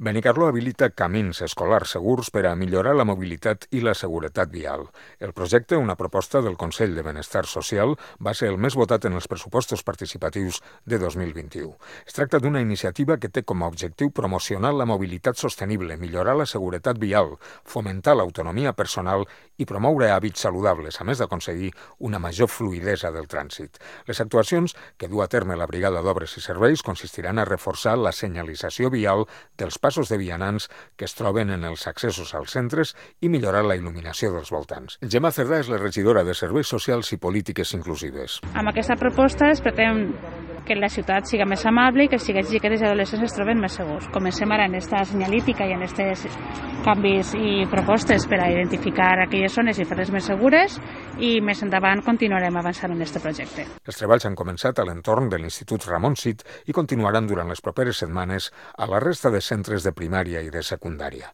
Benicarló habilita camins escolars segurs per a millorar la mobilitat i la seguretat vial. El projecte, una proposta del Consell de Benestar Social, va ser el més votat en els pressupostos participatius de 2021. Es tracta d'una iniciativa que té com a objectiu promocionar la mobilitat sostenible, millorar la seguretat vial, fomentar l'autonomia personal i promoure hàbits saludables, a més d'aconseguir una major fluïdesa del trànsit. Les actuacions que du a terme la Brigada d'Obres i Serveis consistiran a reforçar la senyalització vial dels passos de vianants que es troben en els accessos als centres i millorar la il·luminació dels voltants. Gemma Cerdà és la regidora de Serveis Socials i Polítiques Inclusives. Amb aquesta proposta es pretén que la ciutat siga més amable i que els xiquets, xiquetes i adolescents es troben més segurs. Comencem ara en aquesta senyalítica i en aquests canvis i propostes per a identificar aquelles zones i fer-les més segures i més endavant continuarem avançant en aquest projecte. Els treballs han començat a l'entorn de l'Institut Ramon Cid i continuaran durant les properes setmanes a la resta de centres de primària i de secundària.